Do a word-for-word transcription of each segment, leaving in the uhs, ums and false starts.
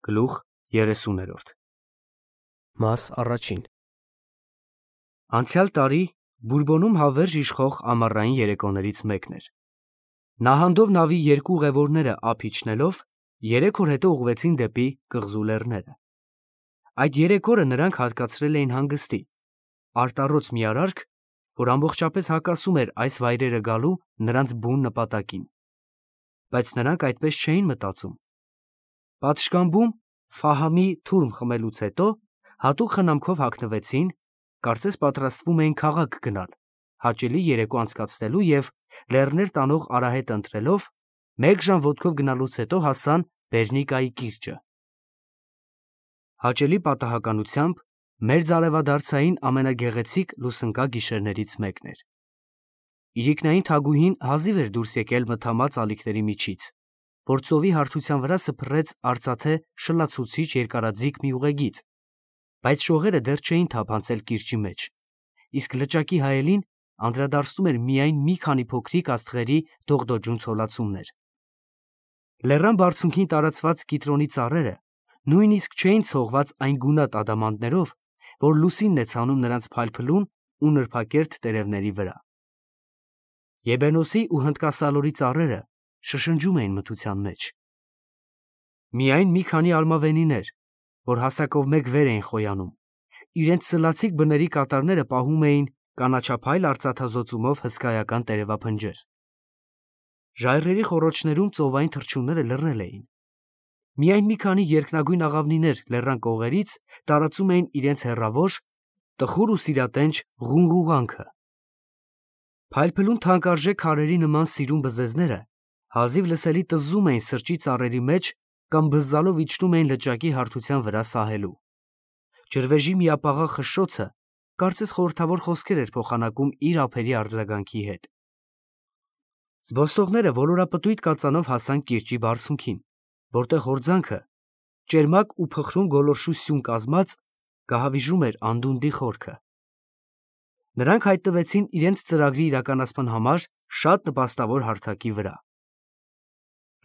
Գլուխ երեսուներորդ Մաս առաջին Անցյալ տարի Բուրբոնում հավերժ իշխող ամառային երեկոներից մեկն էր։ Նահանդով նավի երկու ուղևորները ափ իջնելով երեք օր հետո ուղղվեցին դեպի կղզու լեռները։ Այդ երեք օրը նրանք հատկացրել էին հանգստի, արտառոց մի արարք, որ ամբողջապես հակասում էր այս վայրերը գալու նրանց բուն նպատակին։ Բայց նրանք այդպես չէին մտածում։ Պատշգամբում Ֆահամի թուրմ խմելուց հետո հատուկ խնամքով հագնվեցին, կարծես պատրաստվում էին քաղաք գնալ, հաճելի երեկո անցկացնելու և լեռներ տանող արահետ ընտրելով մեկ ժամ ոտքով գնալուց հետո հասան Բերնիկայի կիրճը։ Հաճելի պատահականությամբ մերձարևադարձային ամենագեղեցիկ լուսնկա գիշերներից մեկն էր։ Իրիկնային թագուհին հազիվ էր դուրս եկել մթամած ալիքների միջից, որ ծովի հարթության վրա սփռեց արծաթե շլացուցիչ երկարաձիգ մի ուղեգիծ, բայց շողերը դեռ չէին թափանցել կիրճի մեջ, իսկ լճակի հայելին անդրադարձնում էր միայն մի քանի փոքրիկ աստղերի դողդոջուն ցոլացումներ։ Լեռան բարձունքին տարածված կիտրոնի ծառերը նույնիսկ չէին ցողված այն գունատ ադամանդներով, որ լուսինն է ցանում նրանց փայլփլուն ու նրբակերտ տերևների վրա։ Եբենոսի ու հնդկասալորի ծառերը շշնջում էին մթության մեջ։ Միայն մի քանի արմավենիներ, որ հասակով մեկ վեր էին խոյանում, իրենց սլացիկ բների կատարները պահում էին կանաչափայլ արծաթազօծումով հսկայական տերևափնջեր։ Ժայռերի խոռոչներում ծովային թռչունները լռել էին։ Միայն մի քանի երկնագույն աղավնիներ լեռան կողերից տարածում էին իրենց հեռավոր, տխուր ու սիրատենչ ղունղուղանքը։ Փայլփլուն թանկարժեք քարերի նման սիրուն բզեզները հազիվ լսելի տզզում էին սրճի ծառերի մեջ կամ բզզալով իջնում էին լճակի հարթության վրա սահելու։ Ջրվեժի միապաղաղ խշշոցը կարծես խորհրդավոր խոսքեր էր փոխանակում իր ափերի արձագանքի հետ։ Զբոսողները ոլորապտույտ կածանով հասան կիրճի բարձունքին, որտեղ հորձանքը, ճերմակ ու փխրուն գոլորշու սյուն կազմած, գահավիժում էր անդունդի խորքը։ Նրանք հայտնվեցին իրենց ծրագրի իրականացման համար շատ նպաստավոր հարթակի վրա։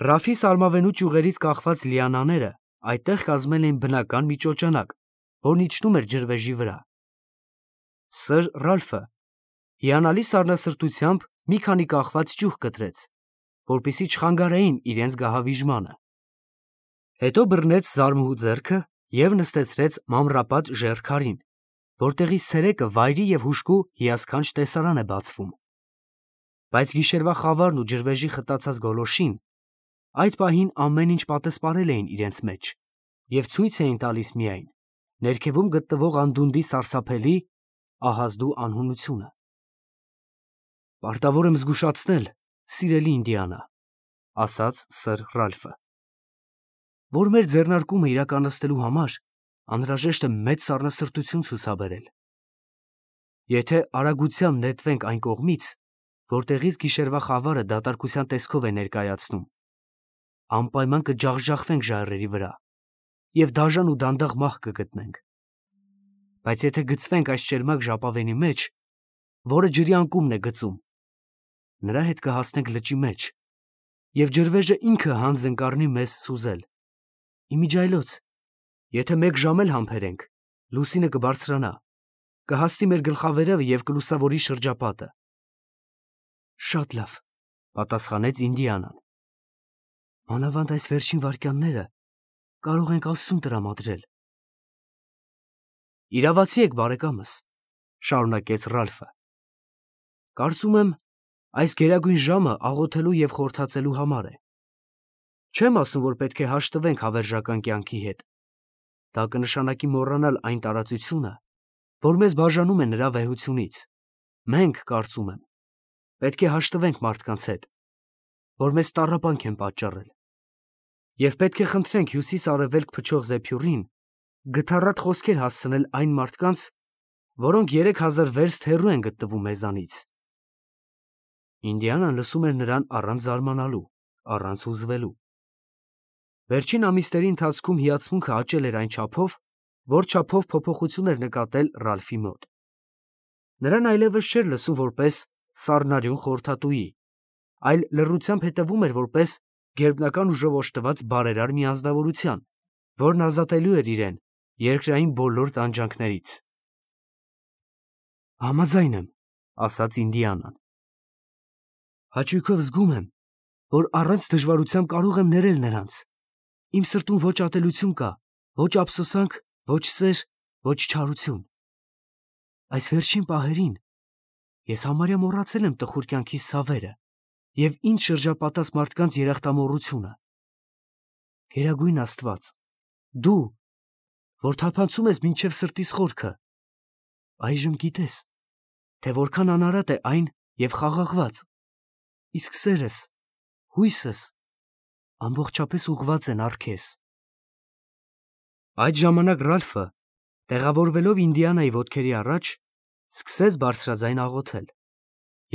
Ռաֆի սարմավենու ճյուղերից կախված լիանաները այդտեղ կազմել էին բնական մի ճոճանակ, որն իջնում էր ջրվեժի վրա։ Սըր Ռալֆը հիանալի սառնասրտությամբ մի քանի կախված ճյուղ կտրեց, որպեսզի չխանգարեին իրենց գահավիժմանը։ Հետո բռնեց զարմուհու ձեռքը և նստեցրեց մանրապատ ժայռ քարին, որտեղից ցերեկը վայրի և հուժկու հիասքանչ տեսարան է բացվում։ Բայց գիշերվա խավարն ու ջրվեժի խտացած գոլորշին այդ պահին ամեն ինչ պատսպարել էին իրենց մեջ և ցույց էին տալիս միայն ներքևում գտնվող անդունդի սարսափելի, ահազդու անհունությունը։ «Պարտավոր եմ զգուշացնել, սիրելի Ինդիանա», ասաց սըր Ռալֆը, «որ մեր ձեռնարկումը իրականացնելու համար անհրաժեշտ է մեծ սառնասրտություն ցուցաբերել։ Եթե արագությամբ նետվենք այն կողմից, որտեղից գիշերվա խավարը դատարկության տեսքով է ներկայացնում, անպայման կջախջախվենք ժայռերի վրա և դաժան ու դանդաղ մահ կգտնենք։ Բայց եթե գցվենք այս ճերմակ ժապավենի մեջ, որը ջրի անկումն է գծում, նրա հետ կհասնենք լճի մեջ, և ջրվեժը ինքը հանձն կառնի մեզ սուզել։ Իմիջիայլոց, եթե մեկ ժամ էլ համբերենք, լուսինը կբարձրանա, կհասնի մեր գլխավերևը և կլուսավորի շրջապատը»։ «Շատ լավ», պատասխանեց Ինդիանան։ «Մանավանդ այս վերջին վայրկյանները կարող ենք Աստծուն տրամադրել»։ «Իրավացի եք, բարեկամս», շարունակեց Ռալֆը։ «Կարծում եմ, այս գերագույն ժամը աղոթելու և խորհրդածելու համար է։ Չեմ ասում, որ պետք է հաշտվենք հավերժական կյանքի հետ։ Դա կնշանակի մոռանալ այն տարածությունը, որ մեզ բաժանում է նրա վեհությունից։ Մենք, կարծում եմ, պետք է հաշտվենք մարդկանց հետ, որ մեզ տառապանք են պատճառել, և պետք է խնդրենք հյուսիս֊արևելք փչող Զեփյուրին գթառատ խոսքեր հասցնել այն մարդկանց, որոնք երեք հազար վերստ հեռու են գտնվում մեզանից»։ Ինդիանան լսում էր նրան առանց զարմանալու, առանց հուզվելու։ Վերջին ամիսների ընթացքում հիացմունքը աճել էր այն չափով, որ չափով փոփոխություն էր նկատել Ռալֆի մոտ։ Նրան այլևս չէր լսում որպես սառնարյուն խորհրդատուի, այլ լռությամբ հետևում էր որպես գերբնական ուժով օժտված բարերար մի անձնավորության, որն ազատելու էր իրեն երկրային բոլոր տանջանքներից։ Համաձայն եմ, ասաց Ինդիանան։ Հաճույքով զգում եմ, որ առանց դժվարության կարող եմ ներել նրանց։ Իմ սրտում ոչ ատելություն կա, ոչ ափսոսանք, ոչ սեր, ոչ չարություն։ Այս վերջին պահերին ես համարյա մոռացել եմ տխուր կյանքիս ցավերը և ինձ շրջապատած մարդկանց երախտամոռությունը։ Գերագույն Աստված, դու, որ թափանցում ես մինչև սրտիս խորքը, այժմ գիտես, թե որքան անարատ է այն և խաղաղված, իսկ սերս, հույսս ամբողջապես ուղղված են առ քեզ։ Այդ ժամանակ Ռալֆը, տեղավորվելով Ինդիանայի ոտքերի առաջ, սկսեց բարձրաձայն աղոթել,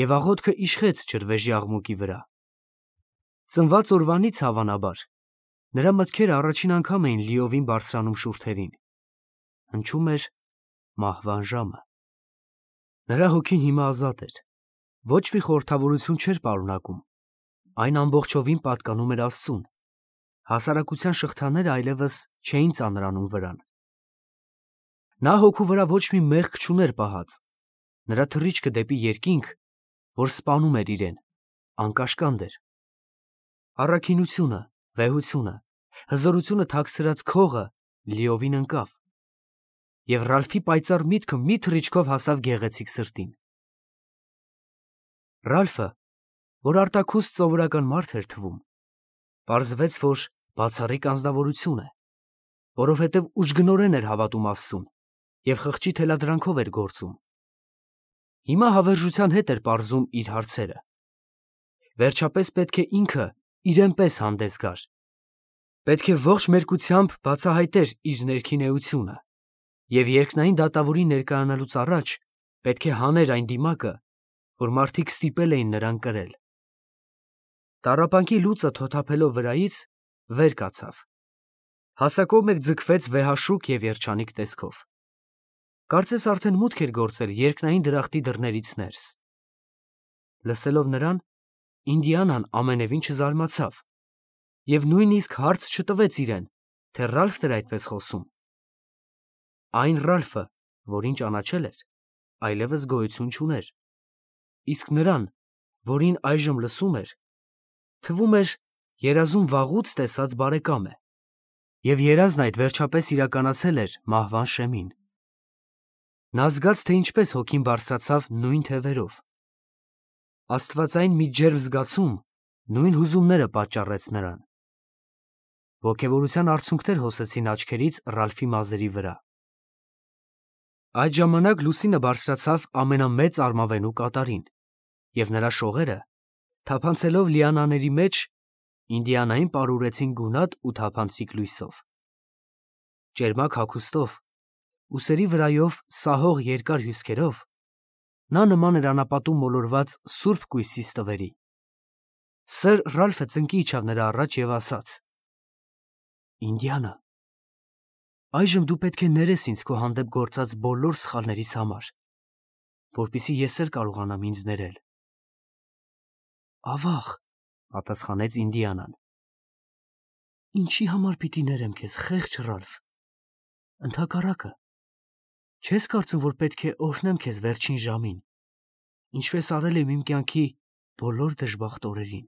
և աղոթքը իշխեց ջրվեժի աղմուկի վրա։ Ծնված օրվանից, հավանաբար, նրա մտքերը առաջին անգամ էին լիովին բարձրանում շուրթերին։ Հնչում էր մահվան ժամը։ Նրա հոգին հիմա ազատ էր, ոչ մի խորհրդավորություն չէր պարունակում, այն ամբողջովին պատկանում էր Աստծուն, հասարակության շղթաները այլևս չէին ծանրանում վրան։ Նա հոգու վրա ոչ մի մեղք չուներ պահած, նրա թռիչքը դեպի երկինք, որ սպանում էր իրեն, անկաշկանդ էր։ Առաքինությունը, վեհությունը, հզորությունը թաքցրած քողը լիովին ընկավ, և Ռալֆի պայծառ միտքը մի թռիչքով հասավ գեղեցիկ սրտին։ Ռալֆը, որ արտաքուստ սովորական մարդ էր թվում, պարզվեց, որ բացառիկ անձնավորություն է, որովհետև ուժգնորեն էր հավատում Աստծուն և խղճի թելադրանքով էր գործում։ Հիմա հավերժության հետ էր պարզում իր հարցերը։ Վերջապես պետք է ինքը իրեն պես հանդես գար։ Պետք է ողջ մերկությամբ բացահայտեր իր ներքին էությունը և երկնային դատավորին ներկայանալուց առաջ պետք է հաներ այն դիմակը, որ մարդիկ ստիպել էին նրան կրել։ Տառապանքի լուծը թոթափելով վրայից, վեր կացավ։ Հասակով մեկ ձգվեց վեհաշուք և երջանիկ տեսքով։ Կարծես արդեն մուտք էր գործել երկնային դրախտի դռներից ներս։ Լսելով նրան, Ինդիանան ամենևին չզարմացավ և նույնիսկ հարց չտվեց իրեն, թե Ռալֆն էր այդպես խոսում։ Այն Ռալֆը, որին ճանաչել էր, այլևս գոյություն չուներ, իսկ նրան, որին այժմ լսում էր, թվում էր երազում վաղուց տեսած բարեկամ է, և երազն այդ վերջապես իրականացել էր մահվան շեմին։ Նա զգաց, թե ինչպես հոգին բարձրացավ նույն թևերով։ Աստվածային մի ջերմ զգացում նույն հուզումները պատճառեց նրան։ Ոգևորության արցունքներ հոսեցին աչքերից Ռալֆի մազերի վրա։ Այդ ժամանակ լուսինը բարձրացավ ամենամեծ արմավենու կատարին, և նրա շողերը, թափանցելով լիանաների մեջ, Ինդիանային պարուրեցին գունատ ու թափանցիկ լույսով։ Ճերմակ հագուստով, ուսերի վրայով սահող երկար հյուսքերով, նա նման էր անապատում մոլորված սուրբ կույսի ստվերի։ Սըր Ռալֆը ծնկի իջավ նրա առաջ և ասաց. «Ինդիանա, այժմ դու պետք է ներես ինձ քո հանդեպ գործած բոլոր սխալներիս համար, որպեսզի ես էլ կարողանամ ինձ ներել»։ «Ավաղ», պատասխանեց Ինդիանան։ «Ինչի համար պիտի ներեմ քեզ, խեղճ Ռալֆ։ Ընդհակառակը, չես կարծում, որ պետք է օրհնեմ քեզ վերջին ժամին, ինչպես արել եմ իմ կյանքի բոլոր դժբախտ օրերին»։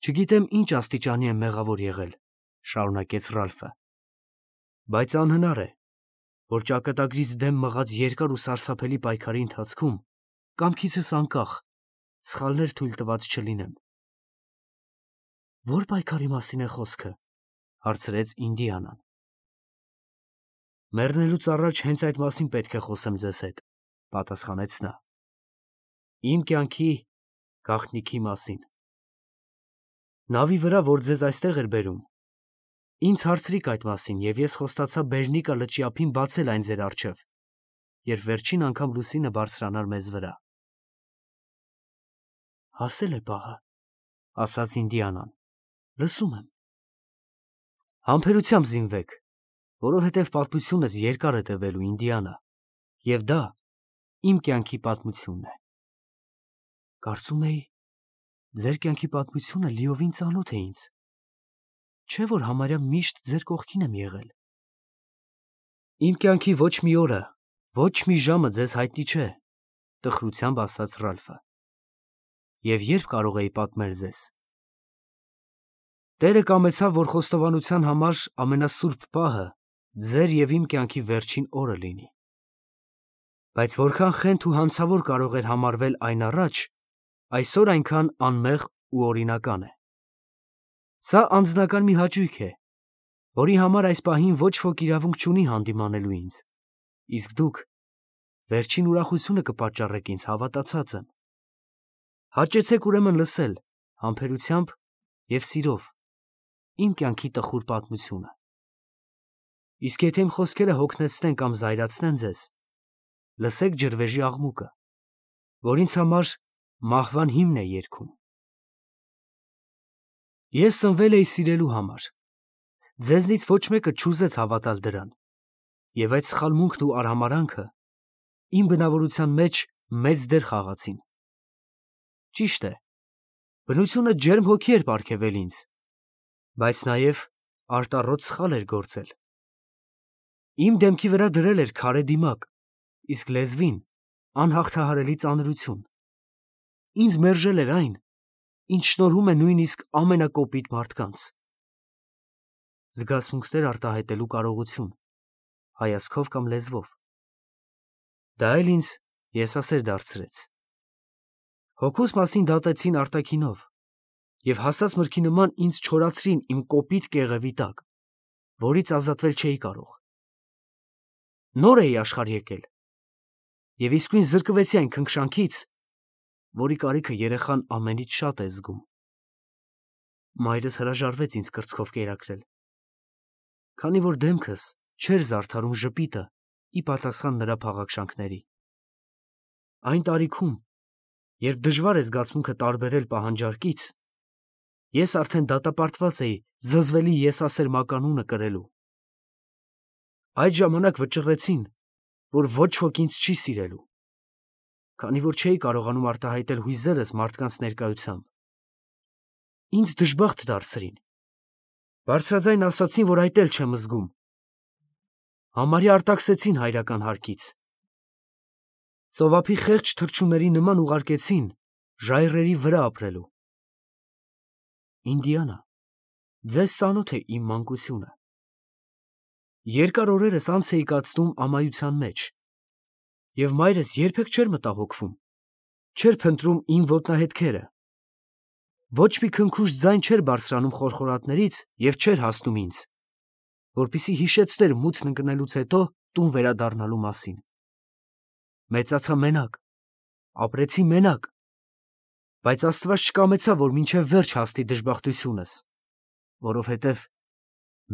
«Չգիտեմ ինչ աստիճանի եմ մեղավոր եղել», շարունակեց Ռալֆը, «բայց անհնար է, որ ճակատագրից դեմ մղած երկար ու սարսափելի պայքարի ընթացքում կամքիցս անկախ սխալներ թույլ տված չլինեմ»։ «Ո՞ր պայքարի մասին է խոսքը», հարցրեց Ինդիանան։ «Մեռնելուց առաջ հենց այդ մասին պետք է խոսեմ ձեզ հետ», պատասխանեց նա։ «Իմ կյանքի գաղտնիքի մասին։ Նավի վրա, որ ձեզ այստեղ էր բերում, ինձ հարցրիք այդ մասին, և ես խոստացա Բերնիկա լճի ափին բացել այն ձեր առջև, երբ վերջին անգամ լուսինը բարձրանար մեզ վրա»։ «Հասել է պահը», ասաց Ինդիանան, «լսում եմ»։ «Համբերությամբ զինվեք, որովհետև պատմությունս երկար է տևելու, Ինդիանա, և դա իմ կյանքի պատմությունն է»։ «Կարծում էի, ձեր կյանքի պատմությունը լիովին ծանոթ է ինձ»։ չէ որ համարյա միշտ ձեր կողքին եմ եղել։ Իմ կյանքի ոչ մի օրը, ոչ մի ժամը ձեզ հայտնի չէ, տխրությամբ ասաց Ռալֆը։ Եվ երբ կարող էի պատմել ձեզ։ Տերը կամեցավ, որ խոստովանության համար ամենասուրբ պահը ձեր և իմ կյանքի վերջին օրը լինի։ Բայց որքան խենթ ու հանցավոր կարող էր համարվել այն առաջ, այսօր այնքան անմեղ ու օրինական է։ Սա անձնական մի հաճույք է, որի համար այս պահին ոչ ոք իրավունք չունի հանդիմանելու ինձ, իսկ դուք վերջին ուրախությունը կպատճառեք ինձ, հավատացած եմ։ Հաճեցեք ուրեմն լսել համբերությամբ և սիրով իմ կյանքի տխուր պատմությունը։ Իսկ եթե իմ խոսքերը հոգնեցնեն կամ զայրացնեն ձեզ, լսեք ջրվեժի աղմուկը, որ ինձ համար մահվան հիմն է երգում։ Ես ծնվել էի սիրելու համար։ Ձեզնից ոչ մեկը չուզեց հավատալ դրան, և այդ սխալմունքն ու արհամարհանքը իմ բնավորության մեջ մեծ դեր խաղացին։ Ճիշտ է, բնությունը ջերմ հոգի էր պարգևել ինձ, բայց նաև արտառոտ սխալ էր գործել։ Իմ դեմքի վրա դրել էր քարե դիմակ, իսկ լեզվին անհաղթահարելի ծանրություն։ Ինձ մերժել էր այն, ինչ շնորհում է նույնիսկ ամենակոպիտ մարդկանց։ Զգացմունքներ արտահայտելու կարողություն, հայացքով կամ լեզվով։ Դա էլ ինձ եսասեր դարձրեց։ Հոգուս մասին դատեցին արտաքինով և հասած մրգի նման ինձ չորացրին իմ կոպիտ կեղևի տակ, որից ազատվել չէի կարող։ Նոր էի աշխարհ եկել և իսկույն զրկվեցի այն քնքշանքից, որի կարիքը երեխան ամենից շատ է զգում։ Մայրս հրաժարվեց ինձ կրծքով կերակրել, քանի որ դեմքս չէր զարդարում ժպիտը ի պատասխան նրա փաղաքշանքների։ Այն տարիքում, երբ դժվար է զգացմունքը տարբերել պահանջարկից, ես արդեն դատապարտված էի զզվելի եսասեր մականունը կրելու։ Այդ ժամանակ վճռեցին, որ ոչ ոք ինձ չի սիրելու, քանի որ չէի կարողանում արտահայտել հույզերս մարդկանց ներկայությամբ։ Ինձ դժբախտ դարձրին։ Բարձրաձայն ասացին, որ այդ էլ չեմ զգում։ Համարյա արտաքսեցին հայրական հարկից։ Ծովափի խեղճ թռչունների նման ուղարկեցին ժայռերի վրա ապրելու։ Ինդիանա, ձեզ ծանոթ է իմ մանկությունը։ Երկար օրերս անց էի կացնում ամայության մեջ, և մայրս երբեք չէր մտահոգվում, չէր փնտրում իմ ոտնահետքերը։ Ոչ մի քնքուշ ձայն չէր բարձրանում խորխորատներից և չէր հասնում ինձ, որպեսզի հիշեցներ մութն ընկնելուց հետո տուն վերադառնալու մասին։ Մեծացա մենակ, ապրեցի մենակ, բայց Աստված չկամեցավ, որ մինչև վերջ հասնի դժբախտությունս, որովհետև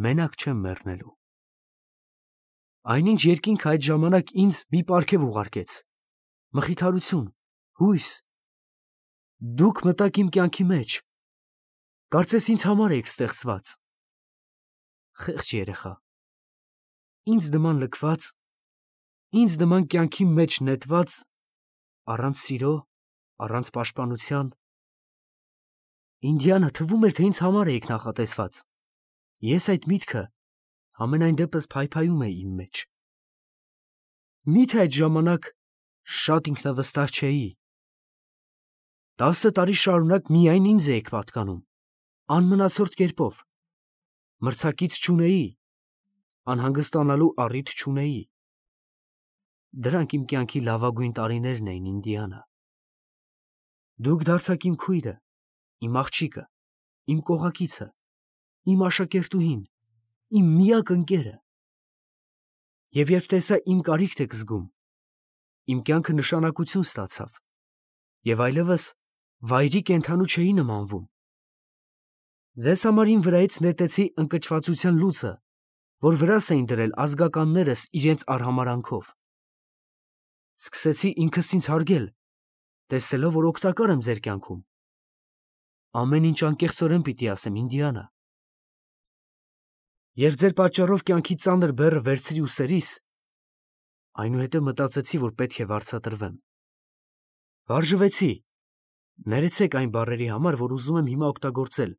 մենակ չեմ մեռնելու։ Այնինչ երկինքը այդ ժամանակ ինձ մի պարգև ուղարկեց, մխիթարություն, հույս։ Դուք մտաք իմ կյանքի մեջ, կարծես ինձ համար էիք ստեղծված։ Խեղճ երեխա, ինձ նման լքված, ինձ նման կյանքի մեջ նետված, առանց սիրո, առանց պաշտպանության։ Ինդիանա, թվում էր, թե ինձ համար էիք նախատեսված։ Ես այդ միտքը համենայն դեպս փայփայում էի իմ մեջ։ Մի՞թե այդ ժամանակ շատ ինքնավստահ չէի։ Տասը տարի շարունակ միայն ինձ էիք պատկանում, անմնացորդ կերպով։ Մրցակից չունեի, անհանգստանալու առիթ չունեի։ Դրանք իմ կյանքի լավագույն տարիներն էին, Ինդիանա։ Դուք դարձաք իմ քույրը, իմ աղջիկը, իմ կողակիցը, իմ աշակերտուհին, իմ միակ ընկերը։ Եվ երբ տեսա իմ կարիքն եք զգում, իմ կյանքը նշանակություն ստացավ, և այլևս վայրի կենդանու չէի նմանվում։ Ձեզ համար իմ վրայից նետեցի ընկճվածության լուծը, որ վրաս էին դրել ազգականներս իրենց արհամարհանքով։ Սկսեցի ինքս ինձ հարգել, տեսնելով, որ օգտակար եմ ձեր կյանքում։ Ամեն ինչ անկեղծորեն պիտի ասեմ, Ինդիանա։ Երբ ձեր պատճառով կյանքի ծանր բեռը վերցրի ուսերիս, այնուհետև մտածեցի, որ պետք է վարձատրվեմ։ Վարժվեցի, ներեցեք այն բառերի համար, որ ուզում եմ հիմա օգտագործել,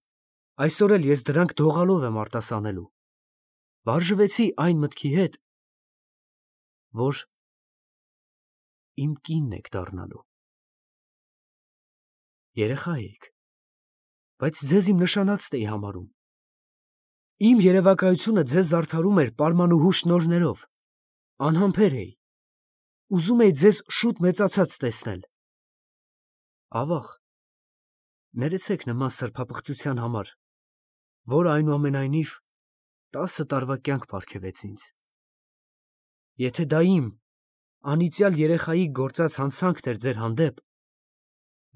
Այսօր էլ ես դրանք դողալով եմ արտասանելու։ Վարժվեցի այն մտքի հետ, որ իմ կինն եք դառնալու։ Երեխա էիք, բայց ձեզ իմ նշանածն էի համարում։ Իմ երևակայությունը ձեզ զարդարում էր պարմանուհու շնորհներով, անհամբեր էի, ուզում էի ձեզ շուտ մեծացած տեսնել։ Ավաղ, ներեցեք նման սրբապղծության համար, որ այնուամենայնիվ տասը տարվա կյանք պարգևեց ինձ։ Եթե դա իմ անիծյալ երեխայի գործած հանցանքն էր ձեր հանդեպ,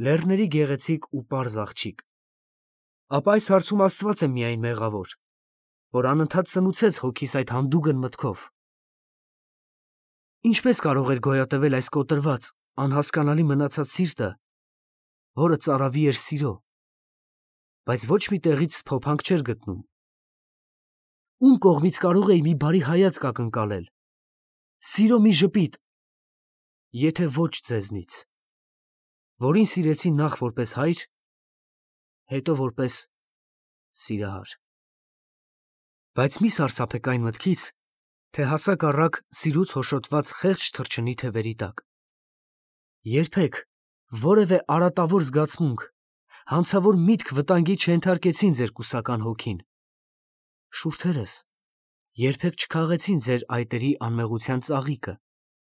լեռների գեղեցիկ ու պարզ աղջիկ, ապա այս հարցում Աստված է միայն մեղավոր, որ անընդհատ սնուցեց հոգիս այդ հանդուգն մտքով։ Ինչպես կարող էր գոյատևել այս կոտրված, անհասկանալի մնացած սիրտը, որը ծարավի էր սիրո, բայց ոչ մի տեղից փոփանք չէր գտնում։ Ում կողմից կարող էի մի բարի հայացք ակնկալել, սիրո մի ժպիտ, եթե ոչ ձեզնից, որին սիրեցի նախ որպես հայր, հետո որպես սիրահար։ Բայց մի սարսափեք այն մտքից, թե հասակ առակ սիրուց հոշոտված խեղճ թռչնի թևերի տակ։ Երբեք որևէ արատավոր զգացմունք, հանցավոր միտք վտանգի չենթարկեցին ձեր կուսական հոգին։ Շուրթերս երբեք չքաղեցին ձեր այտերի անմեղության ծաղիկը,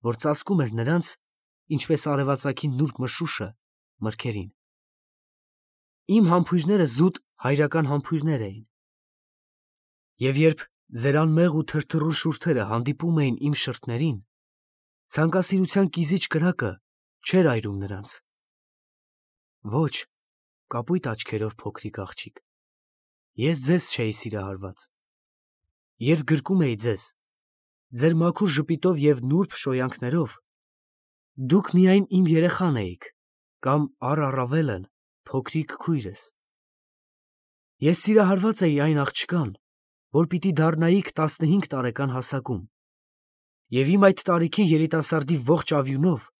որ ծածկում էր նրանց, ինչպես արևածագի նուրբ մշուշը մրգերին։ Իմ համբույրները զուտ հայրական համբույրներ էին։ Եվ երբ ձեր անմեղ ու թրթռուն շուրթերը հանդիպում էին իմ շրթներին, ցանկասիրության կիզիչ կրակը չէր այրում նրանց։ Ոչ, կապույտ աչքերով փոքրիկ աղջիկ, ես ձեզ չէի սիրահարված։ Երբ գրկում էի ձեզ, ձեր մաքուր ժպիտով և նուրբ շոյանքներով, դուք միայն իմ երեխան էիք, կամ առ առավելն փոքրիկ քույրս։ Ես սիրահարված էի այն աղջկան, որ պիտի դառնայիք տասնհինգ տարեկան հասակում, և իմ այդ տարիքին երիտասարդի ողջ ավյունով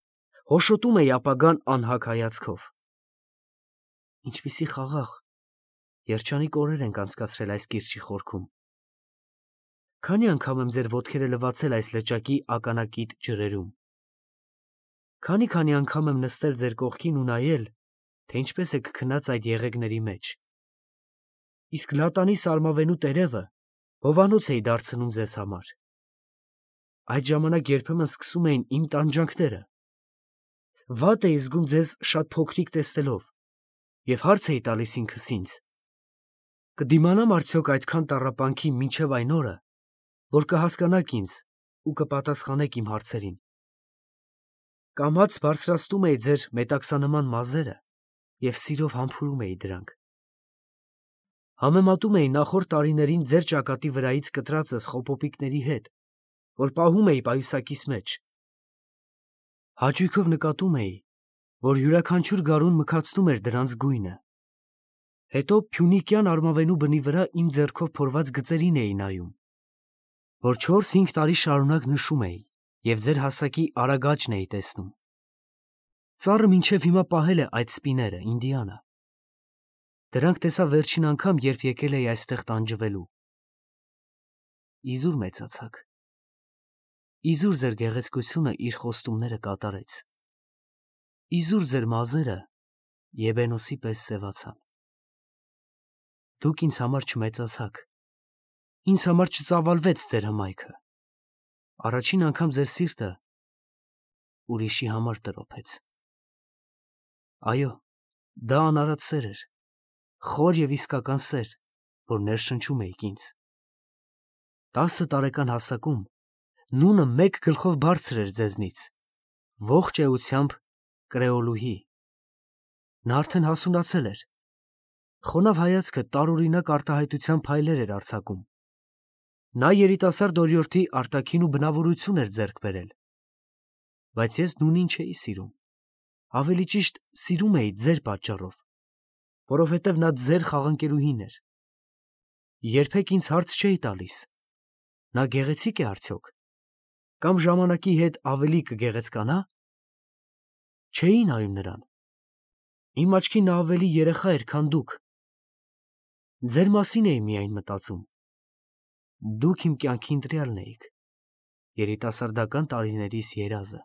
հոշոտում էի ապագան անհագ հայացքով։ Ինչպիսի խաղաղ, երջանիկ օրեր ենք անցկացրել այս կիրճի խորքում։ Քանի անգամ եմ ձեր ոտքերը լվացել այս լճակի ականակիտ ջրերում։ Քանի-քանի անգամ եմ նստել ձեր կողքին ու նայել, թե ինչպես եք քնած այդ եղեգների մեջ։ Իսկ լատանի սարմավենու տերևը հովանոց էի դարձնում ձեզ համար։ Այդ ժամանակ երբեմն սկսում էին իմ տանջանքները։ Վատ էի զգում ձեզ շատ փոքրիկ տեսնելով և հարց էի տալիս ինքս ինձ. կդիմանամ արդյոք այդքան տառապանքի մինչև այն օրը, որ կհասկանաք ինձ ու կպատասխանեք իմ հարցերին։ Կամաց բարձրացնում էի ձեր մետաքսանման մազերը և սիրով համբուրում էի դրանք։ Համեմատում էի նախորդ տարիներին ձեր ճակատի վրայից կտրածս խոպոպիկների հետ, որ պահում էի պայուսակիս մեջ։ Հաճույքով նկատում էի, որ յուրաքանչյուր գարուն մքացնում էր դրանց գույնը։ Հետո փյունիկյան արմավենու բնի վրա իմ ձեռքով փորված գծերին էի նայում, որ չորս֊հինգ տարի շարունակ նշում էի և ձեր հասակի արագ աճն էի տեսնում։ Ծառը մինչև հիմա պահել է այդ սպիները, Ինդիանա։ Դրանք տեսա վերջին անգամ, երբ եկել էի այստեղ տանջվելու։ Իզուր մեծացաք։ Իզուր ձեր գեղեցկությունը իր խոստումները կատարեց։ Իզուր ձեր մազերը Եբենոսի պես սևացան։ Դուք ինձ համար չմեծացաք։ Ինձ համար չծավալվեց ձեր հմայքը։ Առաջին անգամ ձեր սիրտը ուրիշի համար տրոփեց։ Այո, դա անարատ սեր էր, խոր և իսկական սեր, որ ներշնչում էիք ինձ։ Տասը տարեկան հասակում նունը մեկ գլխով բարձր էր ձեզնից, ողջ էությամբ կրեոլուհի։ Նա արդեն հասունացել էր։ Խոնավ հայացքը տարօրինակ արտահայտության փայլեր էր արձակում։ Նա երիտասարդ օրիորդի արտաքին ու բնավորություն էր ձեռք բերել։ Բայց ես նունին չէի սիրում, ավելի ճիշտ սիրում էի ձեր պատճառով, որովհետև նա ձեր խաղանկերուհին էր։ Երբեք ինձ հարց չէի տալիս. նա գեղեցիկ է արդյոք, կամ ժամանակի հետ ավելի կգեղեցկանա։ Չէի նայում նրան։ Իմ աչքին նա ավելի երեխա էր, քան դուք։ Ձեր մասին էի միայն մտածում. դուք իմ կյանքի ընտրյալն էիք, երիտասարդական տարիներիս երազը։